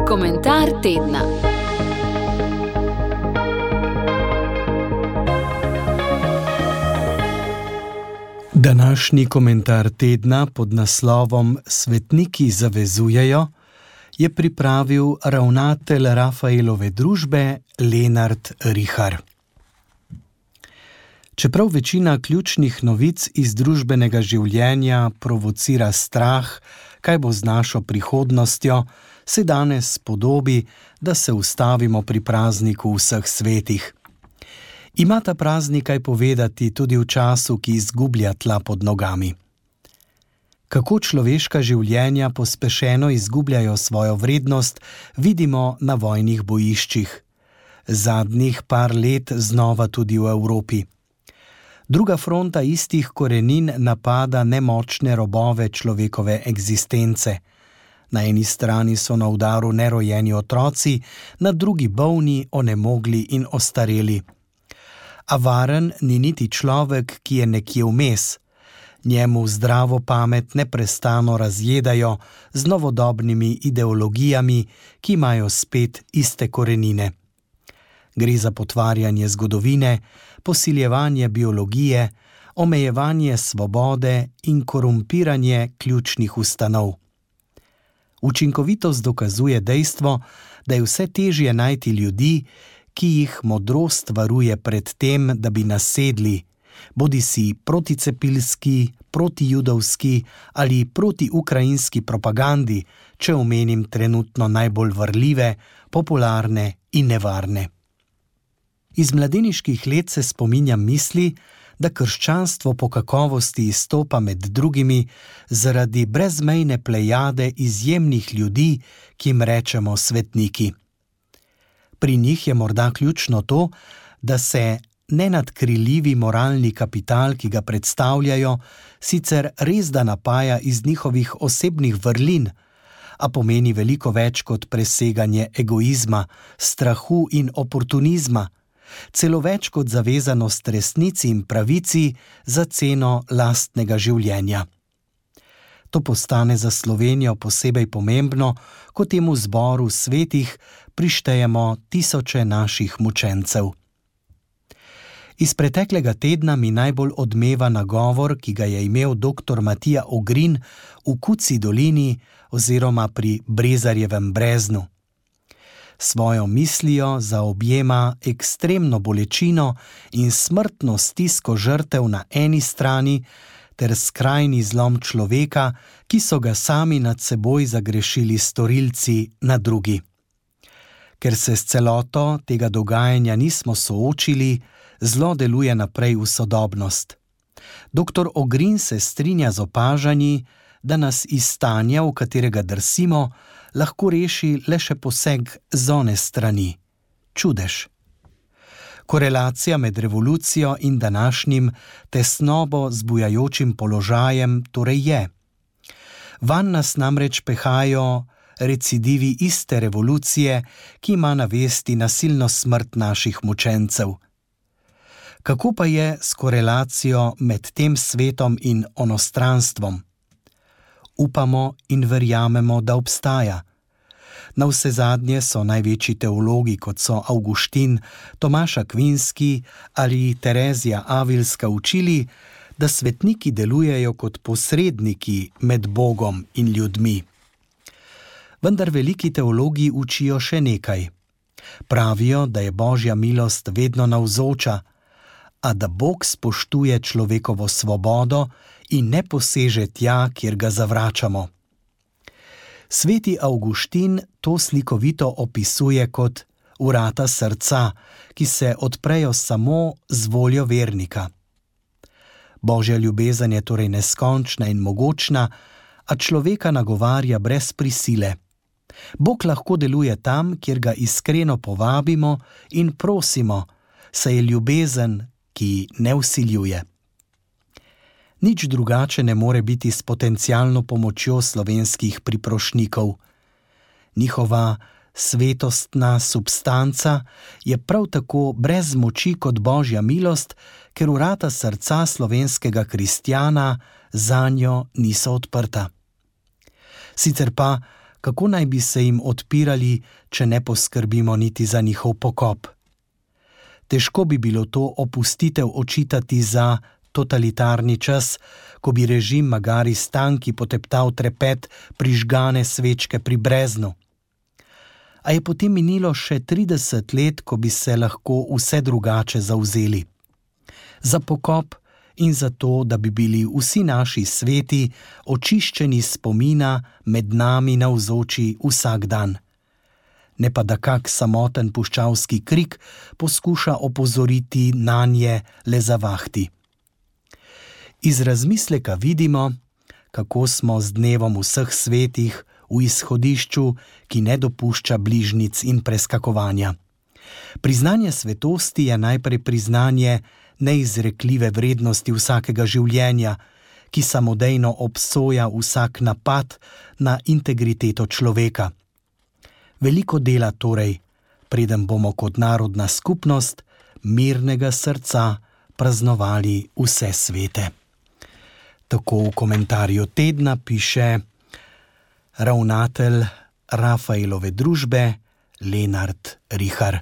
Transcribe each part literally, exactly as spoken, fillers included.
Komentar tedna. Današnji komentar tedna pod naslovom Svetniki zavezujejo je pripravil ravnatelj Rafaelove družbe Lenart Rihar. Čeprav večina ključnih novic iz družbenega življenja provocira strah, kaj bo z našo prihodnostjo, se danes podobi, da se ustavimo pri prazniku vseh svetih. Ima ta praznik kaj povedati tudi v času, ki izgublja tla pod nogami. Kako človeška življenja pospešeno izgubljajo svojo vrednost, vidimo na vojnih bojiščih. Zadnjih par let znova tudi v Evropi. Druga fronta istih korenin napada nemočne robove človekove eksistence. Na eni strani so na udaru nerojeni otroci, na drugi bolni, onemogli in ostareli. A varen ni niti človek, ki je nekje vmes. Njemu zdravo pamet neprestano razjedajo z novodobnimi ideologijami, ki imajo spet iste korenine. Gre za potvarjanje zgodovine, posiljevanje biologije, omejevanje svobode in korumpiranje ključnih ustanov. Učinkovitost dokazuje dejstvo, da je vse težje najti ljudi, ki jih modrost varuje pred tem, da bi nasedli, bodisi proticepilski, protijudovski ali protiukrajinski propagandi, če omenim trenutno najbolj varljive, popularne in nevarne. Iz mladeniških let se spominjam misli, da krščanstvo po kakovosti izstopa med drugimi zaradi brezmejne plejade izjemnih ljudi, ki jim rečemo svetniki. Pri njih je morda ključno to, da se nenadkriljivi moralni kapital, ki ga predstavljajo, sicer res da napaja iz njihovih osebnih vrlin, a pomeni veliko več kot preseganje egoizma, strahu in oportunizma, celo več kot zavezanost resnici in pravici za ceno lastnega življenja. To postane za Slovenijo posebej pomembno, ko temu zboru svetih prištejemo tisoče naših mučencev. Iz preteklega tedna mi najbolj odmeva nagovor, ki ga je imel doktor Matija Ogrin v Kuci dolini oziroma pri Brezarjevem breznu. Svojo mislijo zaobjema ekstremno bolečino in smrtno stisko žrtev na eni strani ter skrajni zlom človeka, ki so ga sami nad seboj zagrešili storilci, na drugi. Ker se s celoto tega dogajanja nismo soočili, zlo deluje naprej v sodobnost. Doktor Ogrin se strinja z opažanji, da nas iz stanja, v katerega drsimo, lahko reši le še poseg z one strani. Čudež. Korelacija med revolucijo in današnjim tesnobo zbujajočim položajem torej je. Vanj nas namreč pehajo recidivi iste revolucije, ki ima na vesti nasilno smrt naših mučencev. Kako pa je s korelacijo med tem svetom in onostranstvom? Upamo in verjamemo, da obstaja. Navsezadnje so največji teologi, kot so Avguštin, Tomaš Akvinski ali Terezija Avilska učili, da svetniki delujejo kot posredniki med Bogom in ljudmi. Vendar veliki teologi učijo še nekaj. Pravijo, da je Božja milost vedno navzoča, a da Bog spoštuje človekovo svobodo in ne poseže tja, kjer ga zavračamo. Sveti Avguštin to slikovito opisuje kot vrata srca, ki se odprejo samo z voljo vernika. Božja ljubezen je torej neskončna in mogočna, a človeka nagovarja brez prisile. Bog lahko deluje tam, kjer ga iskreno povabimo in prosimo, saj je ljubezen, ki ne vsiljuje. Nič drugače ne more biti s potencialno pomočjo slovenskih priprošnikov. Njihova svetostna substanca je prav tako brez moči kot Božja milost, ker vrata srca slovenskega kristjana zanjo niso odprta. Sicer pa, kako naj bi se jim odpirali, če ne poskrbimo niti za njihov pokop? Težko bi bilo to opustitev očitati za totalitarni čas, ko bi režim magari s tanki poteptal trepet prižgane svečke pri Breznu. A je potem minilo še trideset let, ko bi se lahko vse drugače zavzeli. Za pokop in za to, da bi bili vsi naši sveti očiščeni spomina med nami navzoči vsak dan. Ne pa da kak samoten puščavski krik poskuša opozoriti nanje le zavahti. Iz razmisleka vidimo, kako smo z dnevom vseh svetih v izhodišču, ki ne dopušča bližnic in preskakovanja. Priznanje svetosti je najprej priznanje neizrekljive vrednosti vsakega življenja, ki samodejno obsoja vsak napad na integriteto človeka. Veliko dela torej, preden bomo kot narodna skupnost mirnega srca praznovali vse svete. Tako v komentarju tedna piše ravnatelj Rafaelove družbe Lenart Rihar.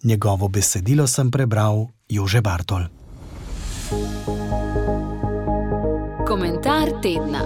Njegovo besedilo sem prebral Jože Bartol. Komentar tedna.